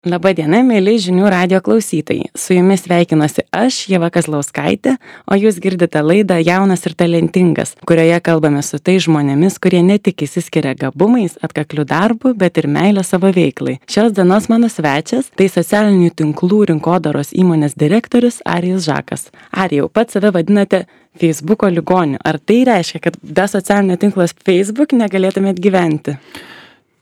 Labadiena, mėly žinių radijo klausytojai. Su jumis sveikinuosi aš, Ieva Kazlauskaitė, o jūs girdite laidą Jaunas ir talentingas, kurioje kalbame su tais žmonėmis, kurie ne tik išsiskiria gabumais, atkakliu darbu, bet ir meilę savo veiklai. Šios dienos mano svečias - tai socialinių tinklų rinkodaros įmonės direktorius Arijus Žakas. Arijau, pats save vadinate Facebooko ligoniu. Ar tai reiškia, kad be socialinio tinklo Facebook negalėtumėt gyventi?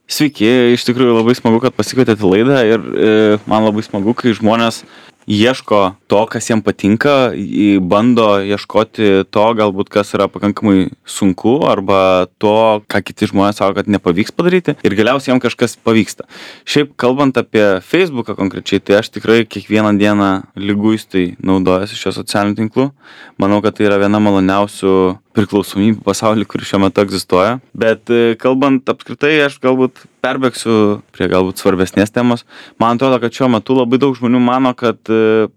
Sveiki, iš tikrųjų labai smagu, kad pasikvietėte laidą ir man labai smagu, kai žmonės ieško to, kas jiem patinka, bando ieškoti to, galbūt kas yra pakankamai sunku arba to, ką kiti žmonės sako, kad nepavyks padaryti ir galiausiai jiem kažkas pavyksta. Šiaip kalbant apie Facebooką konkrečiai, tai aš tikrai kiekvieną dieną liguistai naudojasi šio socialinių tinklų. Manau, kad tai yra viena maloniausių priklausomybių pasaulyje, kuri šiuo metu egzistuoja. Bet kalbant apskritai, aš galbūt perbėgsiu prie galbūt svarbesnės temos. Man atrodo, kad šiuo metu labai daug žmonių mano, kad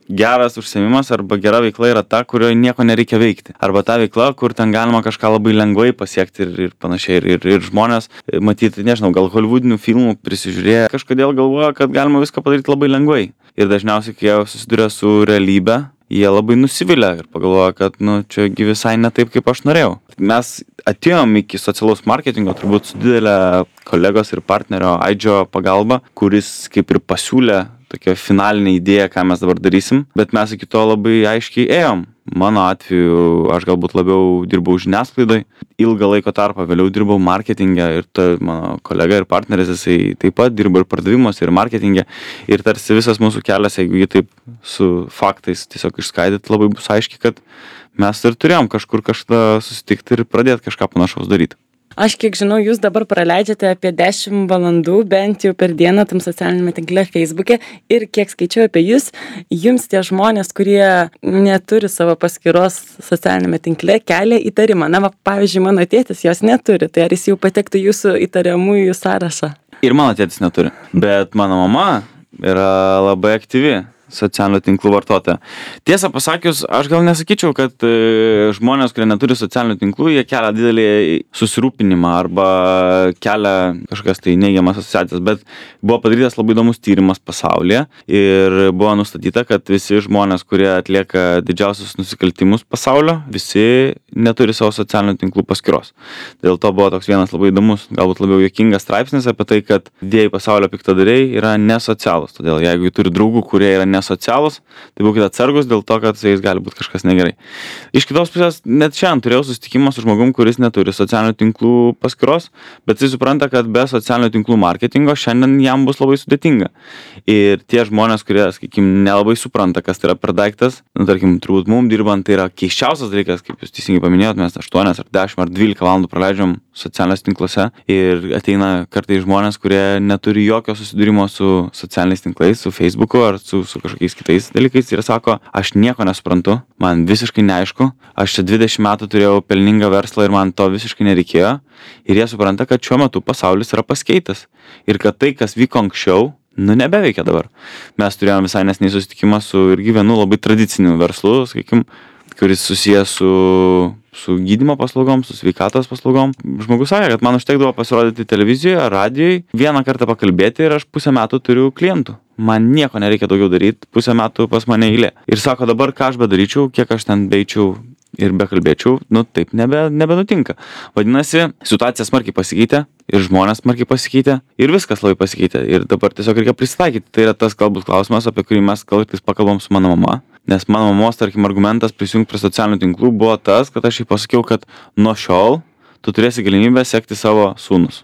geras užsiėmimas arba gera veikla yra ta, kurioje nieko nereikia veikti. Arba ta veikla, kur ten galima kažką labai lengvai pasiekti ir panašiai. Ir žmonės, matyti, nežinau, gal hollywoodinių filmų prisižiūrėję, kažkodėl galvoja, kad galima viską padaryti labai lengvai. Ir dažniausiai, kai jie susiduria su realybe, jie labai nusivilia ir pagalvoja, kad, čiagi visai ne taip, kaip aš norėjau. Mes atėjom iki socialaus marketingo turbūt su didelė kolegos ir partnerio Aidžio pagalba, kuris kaip ir pasiūlė tokią finalinę idėją, ką mes dabar darysim, bet mes iki to labai aiškiai ėjom. Mano atveju aš galbūt labiau dirbau žiniasklaidoj, ilgą laiko tarpą vėliau dirbau marketinge ir mano kolega ir partneris, jisai taip pat dirbo ir pardavimuose, ir marketinge. Ir tarsi visas mūsų kelias, jeigu jį taip su faktais tiesiog išskaidyt, labai bus aiškiai, kad mes ir turėjom kažkur kažkada susitikti ir pradėti kažką panašaus daryti. Aš kiek žinau, jūs dabar praleidžiate apie 10 valandų bent jau per dieną tam socialinėme tinkle Facebook'e ir kiek skaičiau apie jūs, jums tie žmonės, kurie neturi savo paskyros socialinėme tinkle, kelia įtarimą. Pavyzdžiui, mano tėtis jos neturi, tai ar jis jau patektų jūsų įtariamųjų sąrašą? Ir mano tėtis neturi, bet mano mama yra labai aktyvi socialinių tinklų vartotoja. Tiesą pasakius, aš gal nesakyčiau, kad žmonės, kurie neturi socialinių tinklų, jie kelia didelį susirūpinimą arba kelia kažkokias tai neigiamas asociacijas, bet buvo padarytas labai įdomus tyrimas pasaulyje ir buvo nustatyta, kad visi žmonės, kurie atlieka didžiausius nusikaltimus pasaulio, visi neturi savo socialinių tinklų paskyros. Dėl to buvo toks vienas labai įdomus, galbūt labiau juokingas straipsnis apie tai, kad didieji pasaulio piktadariai yra nesocialūs. Todėl jeigu turi draugų, kurie yra nesocialūs, tai būkite atsargus dėl to, kad su jais gali būti kažkas negerai. Iš kitos pusės, net šiandien turėjau susitikimą su žmogum, kuris neturi socialinių tinklų paskyros, bet jis supranta, kad be socialinių tinklų marketingo šiandien jam bus labai sudėtinga. Ir tie žmonės, kurie, sakykime, nelabai supranta, kas tai yra per daiktas, tarkim, turbūt mums dirbant, tai yra keisčiausias dalykas, kaip jūs teisingai paminėjot, mes 8 ar 10 ar 12 valandų praleidžiam socialiniuose tinkluose ir ateina kartais žmonės, kurie neturi jokio susidūrimo su socialiniais tinklais, su Facebooku ar su kažkokiais kitais dalykais ir sako, aš nieko nesuprantu, man visiškai neaišku, aš čia 20 metų turėjau pelningą verslą ir man to visiškai nereikėjo ir jie supranta, kad šiuo metu pasaulis yra pasikeitęs ir kad tai, kas vyko anksčiau, nebeveikia dabar. Mes turėjome visai nesnei susitikimą su irgi vienu labai tradiciniu verslu, sakykime, kuris susijęs su gydymo paslaugom, su sveikatos paslaugom. Žmogus sakė, kad man užtekdavo pasirodyti televizijoje, radijoje, vieną kartą pakalbėti ir aš pusę metų turiu klientų. Man nieko nereikia daugiau daryti, pusę metų pas mane eilė. Ir sako, dabar ką aš bedaryčiau, kiek aš ten beičiau ir bekalbėčiau, taip nebenutinka. Vadinasi, situacija smarkiai pasikeitė ir žmonės smarkiai pasikeitė ir viskas labai pasikeitė. Ir dabar tiesiog reikia prisitaikyti. Tai yra tas galbūt klausimas, apie kurį mes kartais pakalbam su mano mama. Nes mano mamos, tarkim, argumentas prisijungti prie socialinių tinklų buvo tas, kad aš jai pasakiau, kad nuo šiol tu turėsi galimybę sekti savo sūnus.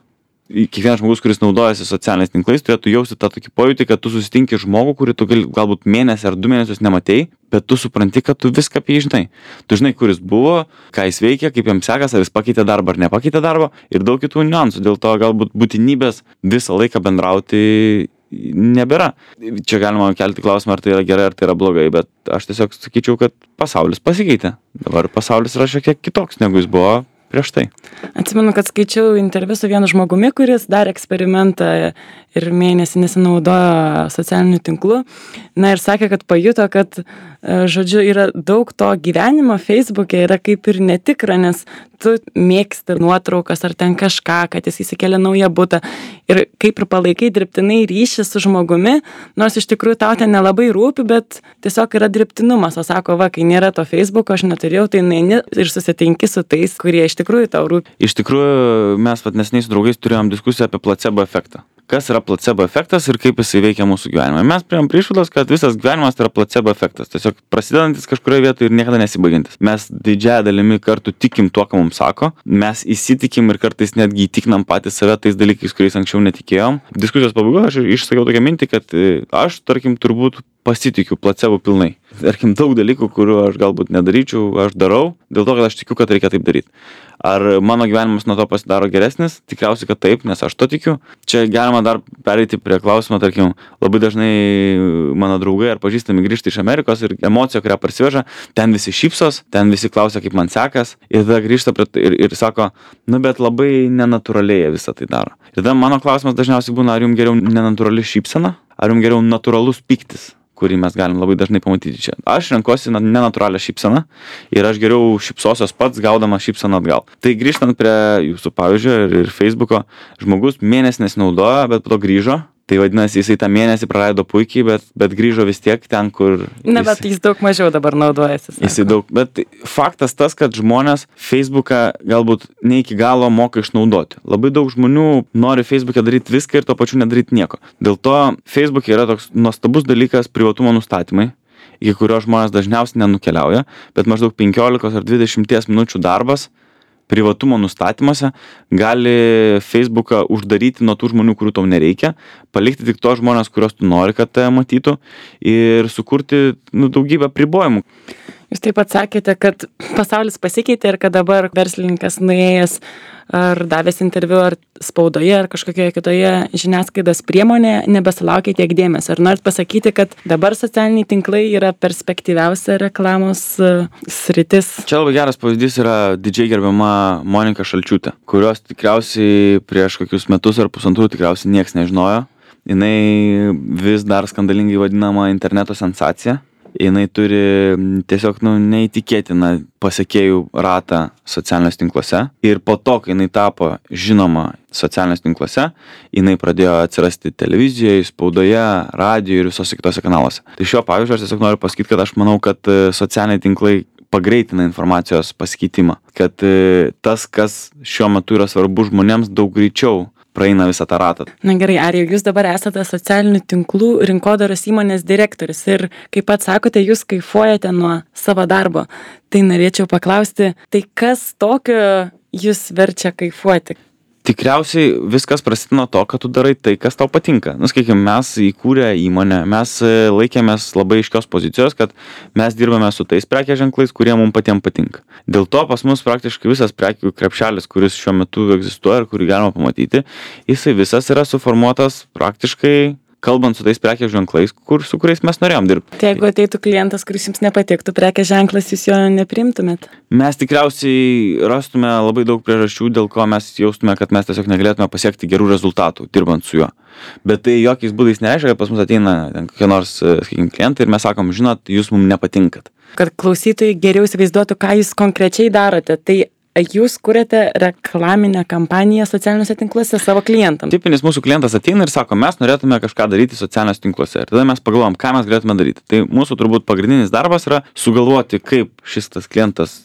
Kiekvienas žmogus, kuris naudojasi socialiniais tinklais, turėtų jausti tą tokį pojūtį, kad tu susitinki žmogų, kurį tu galbūt mėnesį ar 2 mėnesius nematei, bet tu supranti, kad tu viską apie jį žinai. Tu žinai, kur jis buvo, ką jis veikia, kaip jam sekas, ar jis pakeitė darbą ar nepakeitė darbą ir daug kitų niuansų. Dėl to galbūt būtinybės visą laiką bendrauti nebėra. Čia galima kelti klausimą, ar tai yra gerai, ar tai yra blogai, bet aš tiesiog sakyčiau, kad pasaulis pasikeitė. Dabar pasaulis yra šiek tiek kitoks, negu jis buvo prieš tai. Atsimenu, kad skaičiau interviu su vienu žmogumi, kuris darė eksperimentą ir mėnesį nesinaudojo socialinių tinklų. Na ir sakė, kad pajuto, kad, žodžiu, yra daug to gyvenimo Facebook'e yra kaip ir netikra, nes tu mėgsti nuotraukas ar ten kažką, kad jis įsikėlė naują butą. ir kaip ir palaikai dirbtinai ryšį su žmogumi, nors iš tikrųjų tau ten nelabai rūpi, bet tiesiog yra dirbtinumas, o sako, va, kai nėra to Facebooko, aš neturėjau, tai neini ir susitinki su tais, kurie iš tikrųjų tau rūpi. Iš tikrųjų, mes neseniai su draugais turėjom diskusiją apie placebo efektą. Kas yra placebo efektas ir kaip jisai veikia mūsų gyvenimą. Mes priėjom prie išvados, kad visas gyvenimas yra placebo efektas. Tiesiog prasidedantis kažkurioje vietoje ir niekada nesibaigiantis. Mes didžiąją dalimi kartų tikim tuo, ką mums sako. Mes įsitikim ir kartais netgi įtikinam patys save tais dalykais, kuriais anksčiau netikėjom. Diskusijos pabaigoje aš išsakiau tokią mintį, kad aš, tarkim, turbūt pasitikiu placebo pilnai. Tarkim, daug dalykų, kurių aš galbūt nedaryčiau, aš darau, dėl to, kad aš tikiu, kad reikia taip daryti. Ar mano gyvenimas nuo to pasidaro geresnis? Tikriausiai, kad taip, nes aš to tikiu. Čia galima dar pereiti prie klausimo, tarkim, labai dažnai mano draugai ar pažįstami grįžta iš Amerikos ir emocija, kurią parsiveža, ten visi šypsos, ten visi klausia, kaip man sekas, ir tada grįžta ir sako, nu bet labai nenatūraliai visą tai daro. Ir tada mano klausimas dažniausiai būna, ar jums geriau nenatūrali šypsena, ar jums geriau natūralus pyktis, kurį mes galim labai dažnai pamatyti čia. Aš renkuosi nenatūralią šypseną ir aš geriau šypsosios pats, gaudamas šypseną atgal. Tai grįžtant prie jūsų pavyzdžio ir Facebooko, žmogus mėnesį nesinaudojo, bet po to grįžo. Tai vadinasi, jisai tą mėnesį praleido puikiai, bet grįžo vis tiek ten, kur... Na, bet jis daug mažiau dabar naudojasi. Jisai daug, bet faktas tas, kad žmonės Facebooką galbūt ne iki galo moka išnaudoti. Labai daug žmonių nori Facebooke daryti viską ir tuo pačiu nedaryti nieko. Dėl to Facebooke yra toks nuostabus dalykas privatumo nustatymai, iki kurio žmonės dažniausiai nenukeliauja, bet maždaug 15 ar 20 minučių darbas privatumo nustatymuose gali Facebooką uždaryti nuo tų žmonių, kurių tau nereikia, palikti tik tos žmonės, kurios tu nori, kad tai matytų ir sukurti daugybę apribojimų. Jūs taip pat sakėte, kad pasaulis pasikeitė ir kad dabar verslininkas nuėjęs ar davęs interviu ar spaudoje ar kažkokioje kitoje žiniasklaidos priemonėje nebesulaukia tiek dėmesio. Ar norit pasakyti, kad dabar socialiniai tinklai yra perspektyviausia reklamos sritis? Čia labai geras pavyzdys yra didžiai gerbiama Monika Šalčiūtė, kurios tikriausiai prieš kokius metus ar pusantrų tikriausiai nieks nežinojo. Jinai vis dar skandalingai vadinama interneto sensacija. Jinai turi tiesiog neįtikėtiną pasekėjų ratą socialiniuose tinkluose. Ir po to, kai jinai tapo žinoma socialiniuose tinkluose, jinai pradėjo atsirasti televizijoje, spaudoje, radijoje ir visose kitose kanaluose. Tai šiuo pavyzdžiu aš tiesiog noriu pasakyti, kad aš manau, kad socialiniai tinklai pagreitina informacijos pasikeitimą. Kad tas, kas šiuo metu yra svarbu žmonėms, daug greičiau praeina visą tą ratą. Na gerai, ar jūs dabar esate socialinių tinklų rinkodaros įmonės direktorius ir kaip pat sakote, jūs kaifuojate nuo savo darbo. Tai norėčiau paklausti, tai kas tokio jūs verčia kaifuoti? Tikriausiai viskas prasideda nuo to, kad tu darai tai, kas tau patinka. Sakykime, mes įkūrę įmonę, mes laikėmės labai aiškios pozicijos, kad mes dirbame su tais prekės ženklais, kurie mums patiems patinka. Dėl to pas mus praktiškai visas prekių krepšelis, kuris šiuo metu egzistuoja ir kurį galima pamatyti, jisai visas yra suformuotas praktiškai kalbant su tais prekės ženklais, su kuriais mes norėjom dirbti. Tai jeigu ateitų klientas, kuris jums nepatiktų prekės ženklas, jūs jo nepriimtumėt? Mes tikriausiai rastume labai daug priežasčių, dėl ko mes jaustume, kad mes tiesiog negalėtume pasiekti gerų rezultatų, dirbant su juo. Bet tai jokiais būdais nereiškia, kad pas mus ateina kokie nors, sakykime, klientai ir mes sakom, žinot, jūs mums nepatinkat. Kad klausytojai geriau įsivaizduotų, ką jūs konkrečiai darote, tai jūs kuriate reklaminę kampaniją socialiniuose tinkluose savo klientams. Tipinis mūsų klientas ateina ir sako, mes norėtume kažką daryti socialiniuose tinkluose. Ir tada mes pagalvojam, ką mes galėtume daryti. Tai mūsų turbūt pagrindinis darbas yra sugalvoti, kaip šis tas klientas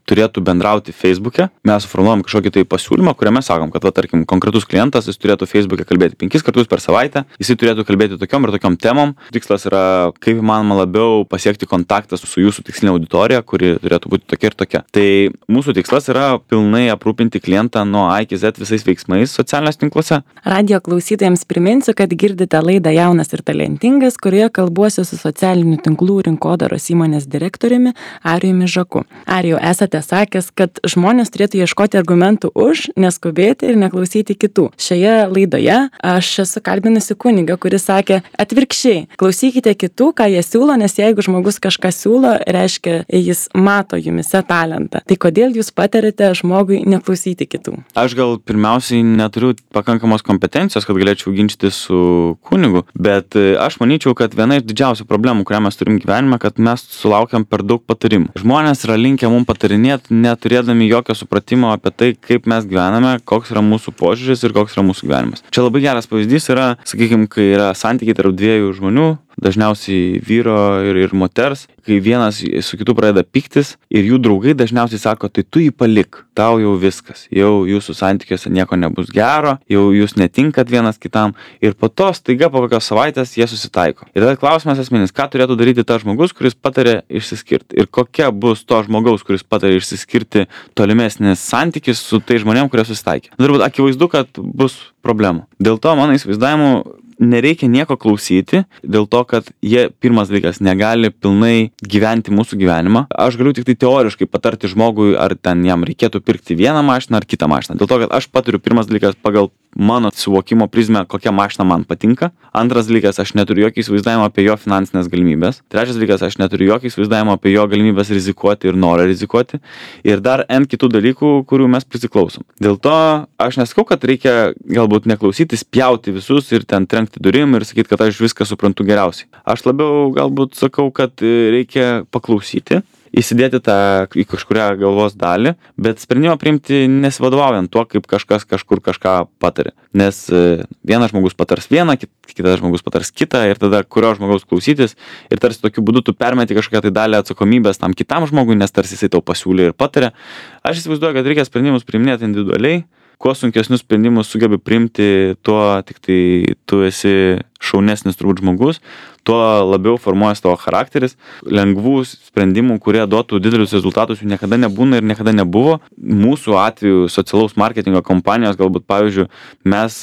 turėtų bendrauti Facebook'e. Mes suformuojam kažkokį tai pasiūlymą, kuriame sakom, kad, tarkim, konkretus klientas, jis turėtų Facebook'e kalbėti 5 kartus per savaitę, jisai turėtų kalbėti tokiom ir tokiom temom. Tikslas yra, kaip įmanoma labiau pasiekti kontaktą su jūsų tikslinė auditorija, kuri turėtų būti tokia ir tokia. Tai mūsų tikslas yra pilnai aprūpinti klientą nuo A iki Z visais veiksmais socialiniuose tinkluose. Radio klausytojams priminsiu, kad girdite laidą Jaunas ir talentingas, kurioje kalbuosiu su socialinių tinklų rinkodaros įmonės direktoriumi Arijumi Žaku. Arijau, esate sakęs, kad žmonės turėtų ieškoti argumentų už, neskubėti ir neklausyti kitų. Šioje laidoje aš esu kalbinusi kunigą, kuris sakė atvirkščiai, klausykite kitų, ką jie siūlo, nes jeigu žmogus kažką siūlo, reiškia, jis mato jumise talentą. Tai kodėl jūs patariate patariate žmogui neklausyti kitų? Aš gal pirmiausiai neturiu pakankamos kompetencijos, kad galėčiau ginčyti su kunigu, bet aš manyčiau, kad viena iš didžiausių problemų, kurią mes turim gyvenime, kad mes sulaukiam per daug patarimų. Žmonės yra linkę mums patarinėti, neturėdami jokio supratimo apie tai, kaip mes gyvename, koks yra mūsų požiūris ir koks yra mūsų gyvenimas. Čia labai geras pavyzdys yra, sakykime, kai yra santykiai tarp dviejų žmonių, dažniausiai vyro ir moters, kai vienas su kitu pradeda pyktis ir jų draugai dažniausiai sako, tai tu jį palik, tau jau viskas, jau jūsų santykiuose nieko nebus gero, jau jūs netinkat vienas kitam ir po to staiga po kokios savaitės jie susitaiko. Ir tada klausimas esminis, ką turėtų daryti tas žmogus, kuris patarė išsiskirti ir kokia bus to žmogaus, kuris patarė išsiskirti tolimesnis santykis su tai žmonėm, kurie susitaikė. Turbūt akivaizdu, kad bus problemų. Dėl to mano įsivaizdavimu nereikia nieko klausyti, dėl to, kad jie, pirmas dalykas, negali pilnai gyventi mūsų gyvenimą. Aš galiu tik tai teoriškai patarti žmogui, ar ten jam reikėtų pirkti vieną mašiną ar kitą mašiną. Dėl to, kad aš patariu, pirmas dalykas, pagal mano suvokimo prizmę, kokia mašina man patinka. Antras dalykas, aš neturiu jokio įsivaizdavimo apie jo finansinės galimybės. Trečias dalykas, aš neturiu jokio įsivaizdavimo apie jo galimybės rizikuoti ir norą rizikuoti. Ir dar N kitų dalykų, kurių mes prisiklausom. Dėl to aš nesakau, kad reikia galbūt neklausyti, spjauti visus ir ten trenkti durim ir sakyti, kad aš viską suprantu geriausiai. Aš labiau galbūt sakau, kad reikia paklausyti, įsidėti tą į kažkurią galvos dalį, bet sprendimą priimti nesivadovaujant tuo, kaip kažkas kažkur kažką patarė. Nes vienas žmogus patars vieną, kitas žmogus patars kitą ir tada kurio žmogaus klausytis ir tarsi tokiu būdu tu permeti kažkokią tai dalį atsakomybės tam kitam žmogui, nes tarsi jisai tau pasiūlė ir patarė. Aš įsivaizduoju, kad reikia sprendimus priiminėti individualiai. Kuo sunkesnius sprendimus sugebi priimti, tuo tik tai tu esi šaunesnis turbūt žmogus, tuo labiau formuojas tavo charakteris. Lengvų sprendimų, kurie duotų didelius rezultatus, jų niekada nebūna ir niekada nebuvo. Mūsų atveju socialaus marketingo kompanijos, galbūt pavyzdžiui, mes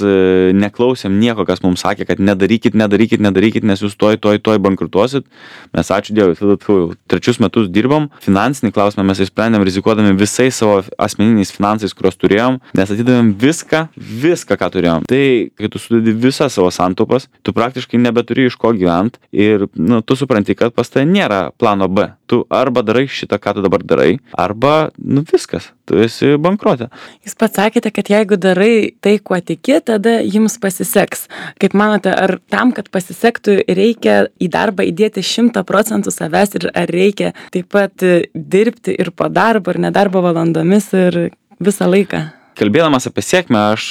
neklausėm nieko, kas mums sakė, kad nedarykit, nes jūs toj bankrutuosit. Mes ačiū Dievui, tada 3 metus dirbom. Finansinį klausimą mes išsprendėm rizikuodami visais savo asmeniniais finansais, kuriuos turėjom, nes atidavėm viską, ką turėjom. Tai, kai tu sudedi visas savo santaupas, tu praktiškai nebeturi iš ko gyventi ir tu supranti, kad pas tai nėra plano B. Tu arba darai šitą, ką tu dabar darai, arba viskas, tu esi bankrote. Jūs pats sakėte, kad jeigu darai tai, kuo tiki, tada jums pasiseks. Kaip manote, ar tam, kad pasisektų, reikia į darbą įdėti 100% savęs ir ar reikia taip pat dirbti ir po darbo, ir nedarbo valandomis ir visą laiką? Kalbėdamas apie sėkmę, aš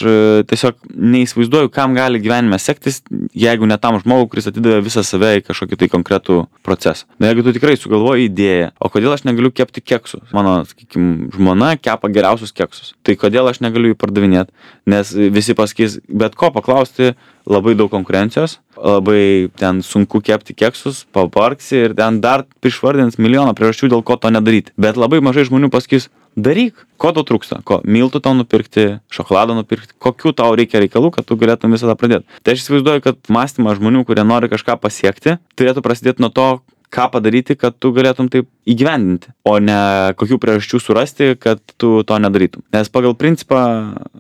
tiesiog neįsivaizduoju, kam gali gyvenime sektis, jeigu ne tam žmogui, kuris atidavė visą save į kažkokį tai konkretų procesą. Na, jeigu tu tikrai sugalvoji idėją, o kodėl aš negaliu kepti keksų? Mano, sakykime, žmona kepa geriausius keksus. Tai kodėl aš negaliu jų pardavinėti? Nes visi pasakys, bet ko paklausti, labai daug konkurencijos, labai ten sunku kepti keksus, pavargsi ir ten dar išvardins milijoną priežasčių, dėl ko to nedaryti. Bet labai mažai žmonių pasakys, daryk, ko tau trūksta, ko miltų tau nupirkti, šokolado nupirkti, kokių tau reikia reikalų, kad tu galėtum visą tą pradėti. Tai aš įsivaizduoju, kad mąstymas žmonių, kurie nori kažką pasiekti, turėtų prasidėti nuo to, ką padaryti, kad tu galėtum taip įgyvendinti, o ne kokių priežasčių surasti, kad tu to nedarytum. Nes pagal principą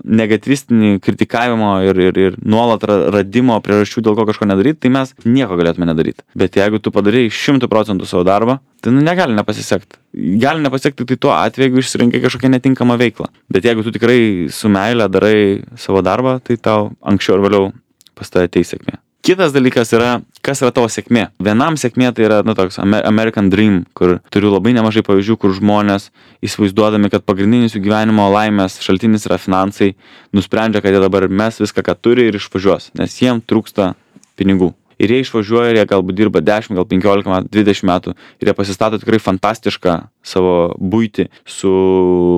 negatyvistinį kritikavimo ir nuolat radimo priežasčių, dėl ko kažko nedaryti, tai mes nieko galėtume nedaryti. Bet jeigu tu padarai 100% savo darbą, tai negali nepasisekti. Gali nepasiekti tai tuo atveju, jeigu išsirinkai kažkokią netinkamą veiklą. Bet jeigu tu tikrai su meile darai savo darbą, tai tau anksčiau ar vėliau pas tave ateis sėkmė. Kitas dalykas yra, kas yra tavo sėkmė. Vienam sėkmė tai yra, toks American Dream, kur turiu labai nemažai pavyzdžių, kur žmonės įsivaizduodami, kad pagrindinis jų gyvenimo laimės šaltinis yra finansai, nusprendžia, kad jie dabar mes viską, ką turi ir išvažiuos, nes jiem trūksta pinigų. Ir jie išvažiuoja, ir jie galbūt dirba 10, gal 15 metų, 20 metų ir jie pasistato tikrai fantastišką savo buitį su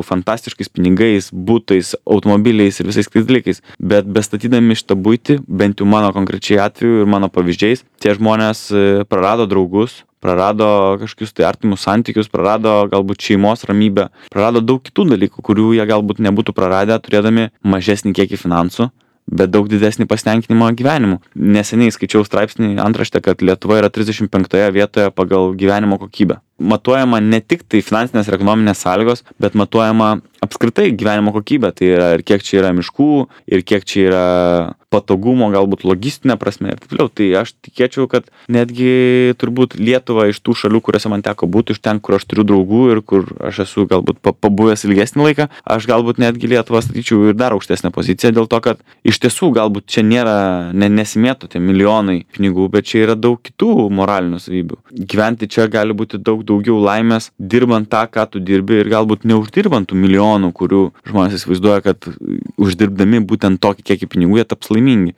fantastiškais pinigais, butais, automobiliais ir visais kitais dalykais. Bet bestatydami šitą buitį, bent jau mano konkrečiai atveju ir mano pavyzdžiais, tie žmonės prarado draugus, prarado kažkokius tai artimus santykius, prarado galbūt šeimos ramybę, prarado daug kitų dalykų, kurių jie galbūt nebūtų praradę, turėdami mažesnį kiekį finansų, bet daug didesnį pasitenkinimą gyvenimu. Neseniai skaičiau straipsnį antraštę, kad Lietuva yra 35 vietoje pagal gyvenimo kokybę. matuojama ne tik tai finansinės ir ekonominės sąlygos, bet matuojama apskritai gyvenimo kokybė. Tai yra ir kiek čia yra miškų, ir kiek čia yra patogumo, galbūt logistinė prasme ir taip toliau. Tai aš tikėčiau, kad netgi turbūt Lietuva iš tų šalių, kuriuose man teko būti, iš ten, kur aš turiu draugų ir kur aš esu galbūt pabuvęs ilgesnį laiką, aš galbūt netgi Lietuvą statyčiau ir dar aukštesnę poziciją dėl to, kad iš tiesų galbūt čia nesimėto tie milijonai pinigų, bet čia yra daug kitų moralinių savybių. Gyventi čia gali būti daug daugiau laimės, dirbant tą, ką tu dirbi ir galbūt neuždirbant tų milijonų, kurių žmonės įsivaizduoja, kad uždirbdami būtent tokį kiekį pinigų jie taps laimingi.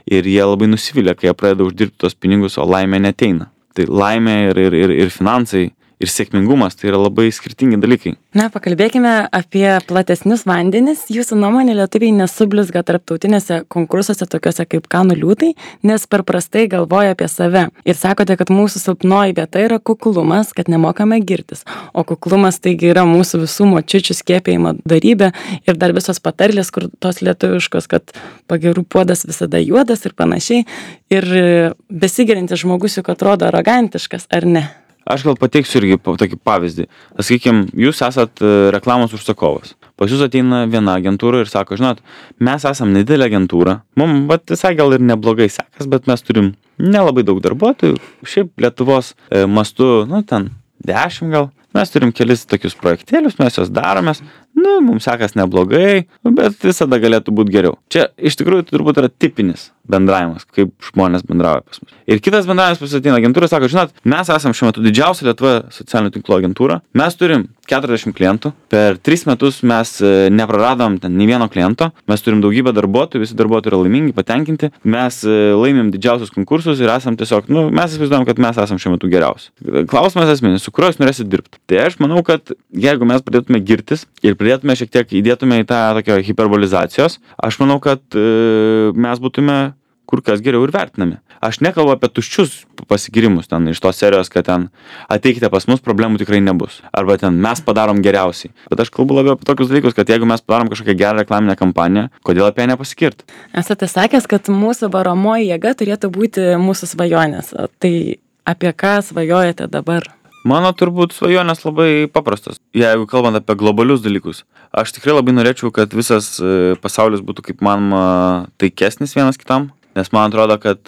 Ir jie labai nusivilia, kai jie pradeda uždirbti tos pinigus, o laimė neateina. Tai laimė ir finansai ir sėkmingumas tai yra labai skirtingi dalykai. Na, pakalbėkime apie platesnius vandenis. Jūsų nuomonė, lietuviai nesublizga tarptautinėse konkursuose tokiuose kaip Kanų liūtai, nes per prastai galvoja apie save. Ir sakote, kad mūsų silpnoji vieta yra kuklumas, kad nemokame girtis. O kuklumas taigi yra mūsų visų močiučių skiepėjimo darybė ir dar visos patarlės, kur tos lietuviškos, kad pagirų puodas visada juodas ir panašiai. Ir besigerintis žmogus juk atrodo arogantiškas, ar ne? Aš gal pateiksiu irgi tokį pavyzdį. Sakykim, jūs esat reklamos užsakovas. Pas jūs ateina viena agentūra ir sako, žinot, mes esam nedidelė agentūra. Mums visai gal ir neblogai sekas, bet mes turim nelabai daug darbuotojų. Šiaip Lietuvos mastu, 10 gal. Mes turim kelis tokius projektėlius, mes juos daromės. Mums sekas neblogai, bet visada galėtų būti geriau. Čia iš tikrųjų turbūt yra tipinis bendravimas, kaip žmonės bendrauja pas mus. Ir kitas bendravimas pas ateina agentūra, sako, žinot, mes esam šiuo metu didžiausia Lietuvoje socialinių tinklų agentūra, mes turim 40 klientų, per 3 metus mes nepraradom ten nei vieno kliento, mes turim daugybę darbuotojų, visi darbuotojai yra laimingi, patenkinti, mes laimim didžiausius konkursus ir esam tiesiog, mes įsivaizduojam, kad mes esam šiuo metu geriausi. Klausimas esminis, su kuriuo jūs norėsit dirbti. Tai aš manau, kad jeigu mes pradėtume girtis ir pradėtume šiek tiek įdėtume į tą tokią hiperbolizacijos, aš manau, kad mes būtume kur kas geriau ir vertinami. Aš nekalbu apie tuščius pasigirimus ten iš tos serijos, kad ten ateikite pas mus, problemų tikrai nebus. Arba ten mes padarom geriausiai. Bet aš kalbu labiau apie tokius dalykus, kad jeigu mes padarom kažkokią gerą reklaminę kampaniją, kodėl apie ją nepasikirti? Esate sakęs, kad mūsų varomoji jėga turėtų būti mūsų svajonės. Tai apie ką svajojate dabar? Mano turbūt svajonės labai paprastos. Jeigu kalbant apie globalius dalykus, aš tikrai labai norėčiau, kad visas pasaulis būtų kaip manoma taikesnis vienas kitam, nes man atrodo, kad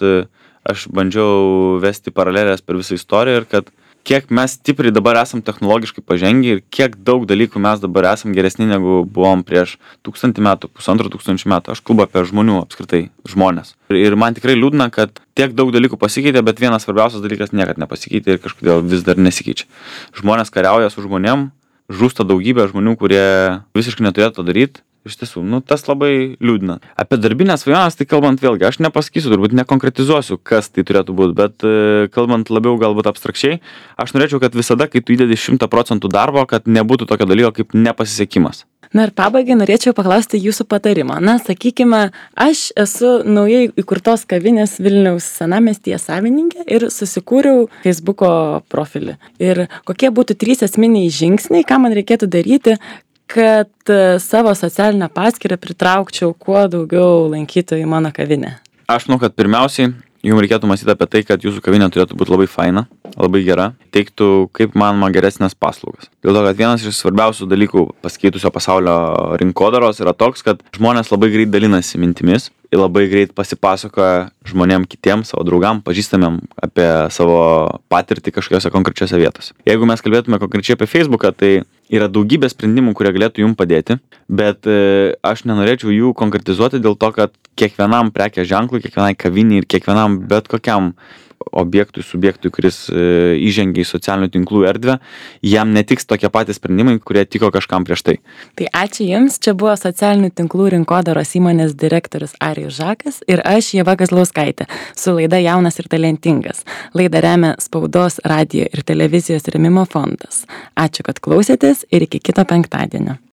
aš bandžiau vesti paralelės per visą istoriją ir kad kiek mes stipriai dabar esam technologiškai pažengę ir kiek daug dalykų mes dabar esam geresni negu buvom prieš 1000 metų, 1500 metų. Aš kalbu apie žmonių apskritai, žmonės. Ir man tikrai liūdna, kad tiek daug dalykų pasikeitė, bet vienas svarbiausias dalykas niekad nepasikeitė ir kažkodėl vis dar nesikeičia. Žmonės kariauja su žmonėm, žūsta daugybė žmonių, kurie visiškai neturėtų to daryti. Iš tiesų, tas labai liūdna. Apie darbinės svajonės, tai kalbant vėlgi, aš nepasakysiu, turbūt nekonkretizuosiu, kas tai turėtų būti, bet kalbant labiau galbūt abstrakčiai, aš norėčiau, kad visada, kai tu įdedi 100% darbo, kad nebūtų tokio dalyko kaip nepasisekimas. Na ir pabaigai norėčiau paklausti jūsų patarimo. Na, sakykime, aš esu naujai įkurtos kavinės Vilniaus senamiestyje savininkė ir susikūriau Facebooko profilį. Ir kokie būtų 3 esminiai žingsniai, ką man reikėtų daryti, kad savo socialinę paskyrą pritraukčiau kuo daugiau lankytojų į mano kavinę? Aš manau, kad pirmiausiai jums reikėtų mąstyti apie tai, kad jūsų kavinė turėtų būti labai faina, labai gera, teiktų kaip manoma geresnės paslaugas. Dėl to, kad vienas iš svarbiausių dalykų pasikeitusio pasaulio rinkodaros yra toks, kad žmonės labai greit dalinasi mintimis ir labai greit pasipasakoja žmonėm kitiem, savo draugam, pažįstamiem apie savo patirtį kažkokiose konkrečiose vietose. Jeigu mes kalbėtume konkrečiai apie Facebooką, tai yra daugybė sprendimų, kurie galėtų jums padėti, bet aš nenorėčiau jų konkretizuoti dėl to, kad kiekvienam prekės ženklui, kiekvienai kaviniai ir kiekvienam bet kokiam objektui, subjektui, kuris įžengia į socialinių tinklų erdvę, jam netiks tokie patys sprendimai, kurie tiko kažkam prieš tai. Tai ačiū Jums, čia buvo socialinių tinklų rinkodaros įmonės direktorius Arijus Žakas ir aš Ieva Kazlauskaitė su laida Jaunas ir talentingas. Laidą remia Spaudos, radijo ir televizijos rėmimo fondas. Ačiū, kad klausėtės ir iki kito penktadienio.